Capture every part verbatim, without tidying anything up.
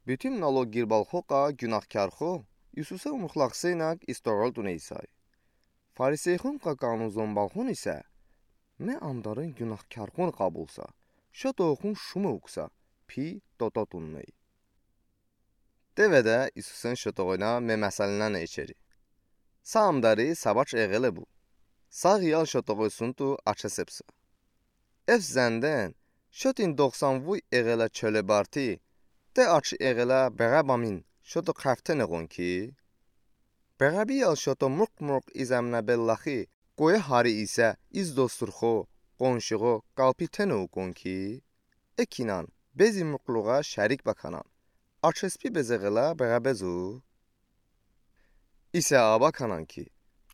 Butün nalog girbal xo qa gunahkar xo Isuse umurtlaqsınag istoğol tuneysa. Farisey xon qa qanun zonbal xon ise: Me amdarın gunahkar xon qabulsa, şoto xon şume uksa, pi toto tunney. Devede Isusen şotoğoyna me meselnane içeri. Sa amdari sabaç eğele bu. Sa ğiyal şotoğoy suntu açesepsa. Ef zenden, şotin doxsan vuy eğele çöle barti, te açi eğele beğe bamin şoto qeftene ğon ki. Beğe biyal şoto murq-murq iz emne bellaxi, qoye hari ise iz dostur xo, qonşu xo qalpi tene ukon ki. Ekinan, bezi murqluğa şerik bakanan, açespi bezeğele beğe bezu. İse a bakanan ki,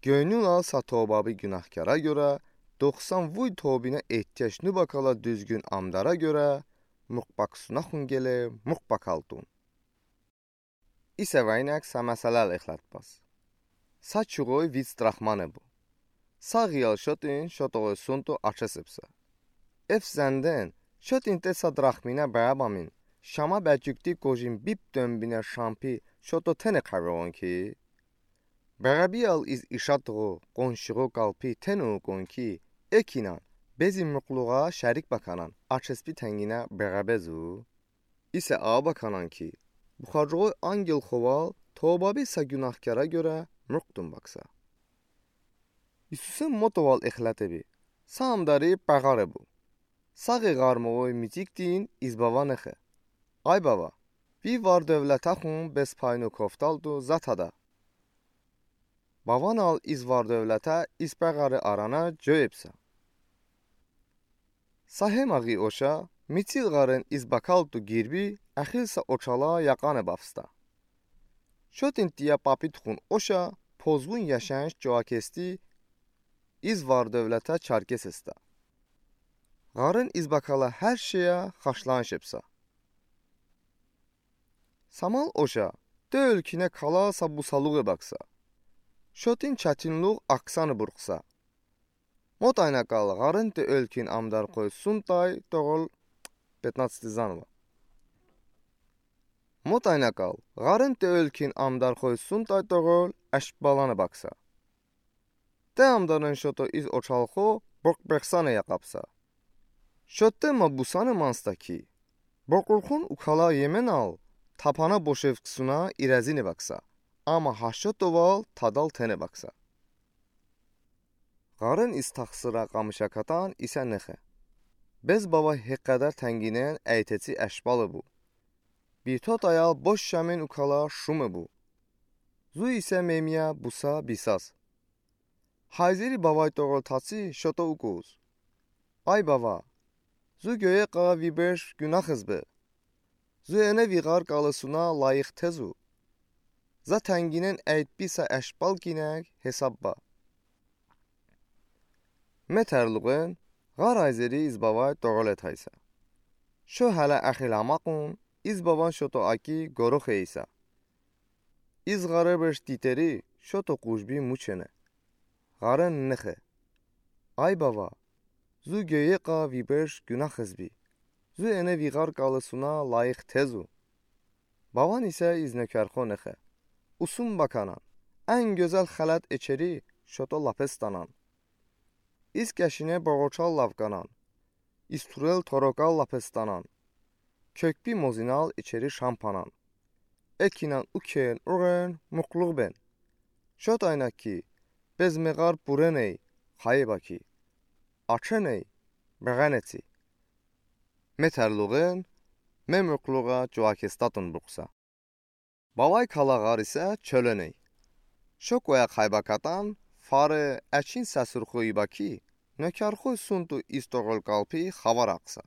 gönül al sa tobabi gunahkara göre, doxsan vuy tobine ihtiyac nubakala düzgün amdara göre, murq baksuna xon gele, murq bakal tun. İse vaynak sa meselel ixletbas. Sa çuğoy vic drahmane bu. Sa ğiyal şotin şotoğoy suntu açesepsa. Ef zenden, şotin te sa drahmine beğe bamin, şama becükti kojin bip dönbine şampi şoto tene qeveğon ki. Beğe biyal iz işatığo, qonşuğo qalpi tene ukon ki, ekinan, bezi murqluğa şerik bakanan, açespi tengine beğe bezu. İse a bakanan ki, buxarcığoy angel xoval tobabi sa gunahkara göre murq tun baksa. İsuse motoval ixlete bi, sa amdari beğare bu. Sa ği ğarmoğoy miciktin iz bava nexe: Ay bava, vi var-dövlete xon bez payno koftal tu za tada. Bavan al iz var-dövlete iz beğari arana coyepsa. Sa hema ği oşa, micil ğarın iz bakal tu girbi, exil sa oçala yaqane bafsta. Şotin tiya papit xon oşa, pozğun yaşayış coakesti, iz var-dövlete çarkes esta. Ğarın iz bakala her şeye xaşlanış epsa. Samal oşa, te ölkine kala sa busaluğe baksa. Şotin çetinluğ aksanı burqsa. Motayna kal ğarın te ölkin amdar xoy suntay toğol, пятнадцатый заново. Motayna kal ğarın te ölkin amdar xoy suntay toğol, eşbalanı baksa. Te amdarın şoto iz oçal xo, borq bexsanı yaqapsa. Şote ma busanı mansta ki, borqurxun ukala yemen al, tapana boşevksuna irezine baksa, ama ha şotoval tadal tene baksa. Ğarın iz taxsıra qamışa katan ise nexe: Bez bava heqeder tenginen eytetsi eşbalı bu. Bito tayal boş şamin ukala şume bu. Zu ise memiya busa bisaz. Hayzeri bavay toğol tatsi şoto ukuz: Ay bava, zu göye qa vi beş günaxız bi. Zu ene vi ğar qalısuna layıq tezu. Za tenginen eytbi sa eşbal kinek hesabba. Me terluğen, ğar ayzeri iz bavay toğol etaysa. Şo hele exil amaqun, iz bavan şoto aki gorox eysa. İz ğarı beş diteri şoto qujbi muçene. Ğarın nexe: Ay bava, zu göye qa vi beş günaxız bi. Zu ene vi ğar qalısuna layıq tezu. Bavan ise iz nökerxo nexe: Usun bakanan, en gözel xelet içeri şoto lapestanan. İz keşine boğoçal lavkanan, iz turel torokal lapestanan. Kökbi mozinal içeri şampanan. Ekinan uken uğen murqluğ ben. Şotayna ki, bez me ğar pureney, xayıba ki. Açeney, beğenetsi. Me terluğen, me murqluğa cuakestatun burqsa. Bavay kala ğar ise çöleney. Şo koya xayba katan, fare, eçin sesurxo iba ki, nökerxo suntu iz toğol qalpi xavar aqsa.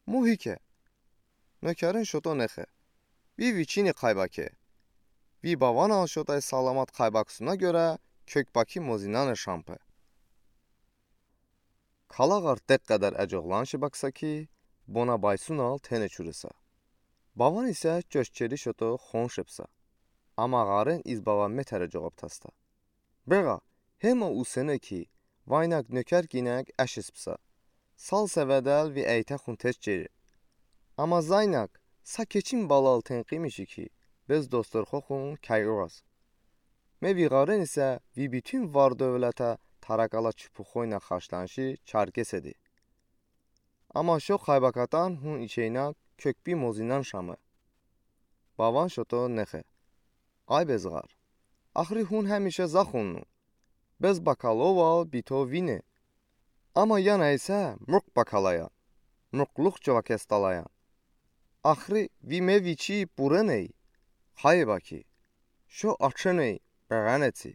Muhike. Nökerin şoto nexe: Vi viçini xayba ke. Vi bavan al şotay salamat xaybaksuna göre kökbaki mozinane şampe. Kala ğar teqeder ecoğlanşi baksa ki, bona baysunal tene çurısa. Bavan ise çoşçeri şoto xonşepsa. Ama ğarın iz bava metere coğaptasta. Beğa, hema usene ki, vaynak nöker kinek eşispsa. Sal sevedel vi eyte xun teşçeri. Ama zaynak, Sa keçim balal tenqimişi ki, bez dostorxo xun kəy uğaz. Me viğarin isə vi bütün var-dövlətə tərəqələ çupuxoynə xaşlanşi çərkesədi. Amma şo xaybəkədən hun içeynə kökbi mozinən şəmi. Bavan şoto nexe. Ay bezğar. Axri hun həmişə zaxunnu. Bez bəkəloval bito vine. Amma yana isə murq bəkəlayan. Murqluq cıvakestalayan. Axri vi me viçi bureney. Xaybəki. Şo açeney bəğənetsi.